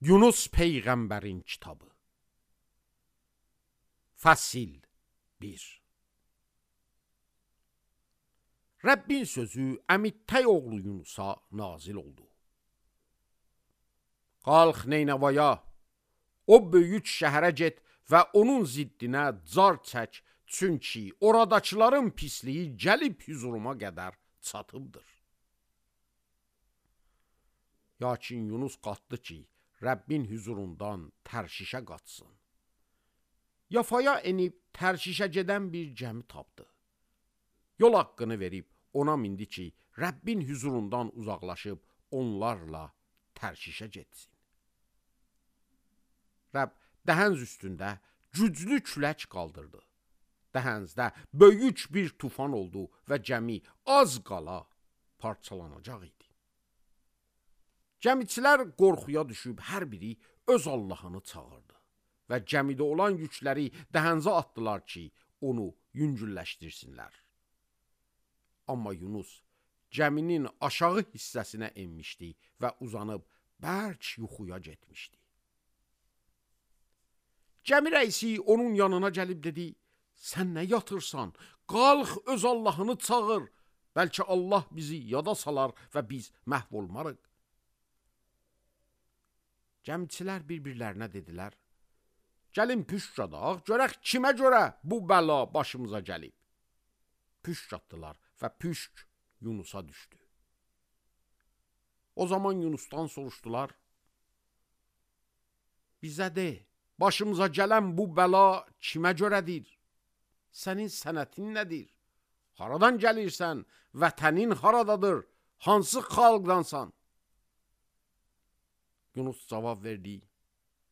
Yunus Peyğəmbərin kitabı. Fəsil 1. Rəbbin sözü Əmittəy oğlu Yunusa nazil oldu. Qalx Neynəvaya, o böyük şəhərə get və onun ziddinə car çək, çünki oradakıların pisliyi gəlib hüzuruma qədər çatıbdır. Lakin Yunus qalxdı ki, Rəbbin hüzurundan Tərşişə qaçsın. Yafaya enib Tərşişə gedən bir gəmi tapdı. Yol haqqını verib ona mindi ki, Rəbbin hüzurundan uzaqlaşıb onlarla Tərşişə getsin. Rəbb dəhənz üstündə güclü külək qaldırdı. Dəhənzdə böyük bir tufan oldu və gəmi az qala parçalanacaq idi. Gəmiçilər qorxuya düşüb hər biri öz Allahını çağırdı və gəmidə olan yükləri dəhənzə atdılar ki, onu yüngülləşdirsinlər. Amma Yunus gəminin aşağı hissəsinə enmişdi və uzanıb bərk yuxuya getmişdi. Gəmi rəisi onun yanına gəlib dedi, sən nə yatırsan, qalx öz Allahını çağır, bəlkə Allah bizi yada salar və biz məhv olmarıq. Gəmiçilər bir-birlərinə dedilər, gəlin püşk adaq, görək kimə görə bu bəla başımıza gəlib. Püşk atdılar və püşk Yunusa düşdü. O zaman Yunusdan soruşdular, bizə de, başımıza gələn bu bəla kimə görədir? Sənin sənətin nədir? Haradan gəlirsən? Vətənin haradadır? Hansı xalqdansan? Yunus cavab verdi,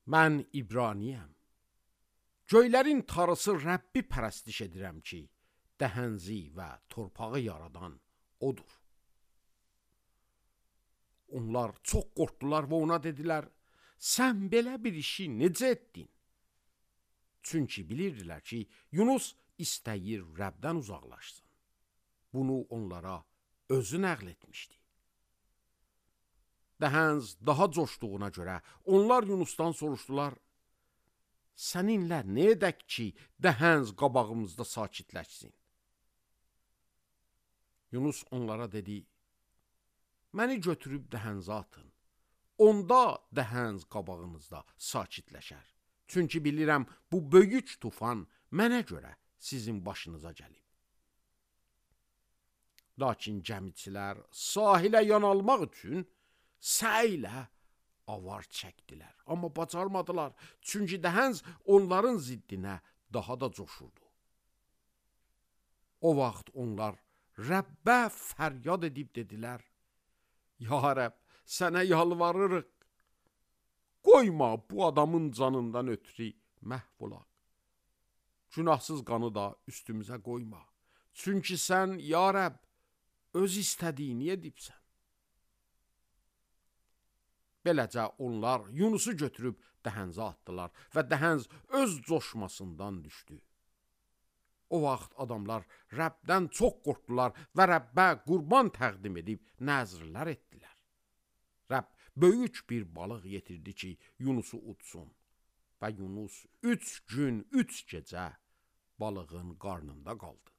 mən İbraniyəm. Göylərin tarısı Rəbbi pərəstiş edirəm ki, dəhənzi və torpağı yaradan odur. Onlar çox qorxdular və ona dedilər, sən belə bir işi necə etdin? Çünki bilirdilər ki, Yunus istəyir Rəbdən uzaqlaşsın. Bunu onlara özü nəql etmişdi. Dəhənz daha coşduğuna görə onlar Yunusdan soruşdular, səninlə nə edək ki, dəhənz qabağımızda sakitləşsin? Yunus onlara dedi, məni götürüb dəhənzə atın, onda dəhənz qabağınızda sakitləşər. Çünki bilirəm, bu böyük tufan mənə görə sizin başınıza gəlib. Lakin gəmiçilər sahilə yanalmaq üçün səylə avar çəkdilər, amma bacarmadılar, çünki dəhənz onların ziddinə daha da coşurdu. O vaxt onlar Rəbbə fəryad edib dedilər, ya Rəbb, sənə yalvarırıq, qoyma bu adamın canından ötürü məhv olaq. Günahsız qanı da üstümüzə qoyma, çünki sən, ya Rəbb, öz istədiyini edibsən. Beləcə onlar Yunusu götürüb dəhənzə atdılar və dəhənz öz coşmasından düşdü. O vaxt adamlar Rəbdən çox qorxdular və Rəbbə qurban təqdim edib nəzrlər etdilər. Rəbb böyük bir balıq yetirdi ki, Yunusu utsun və Yunus 3 gün, 3 gecə balığın qarnında qaldı.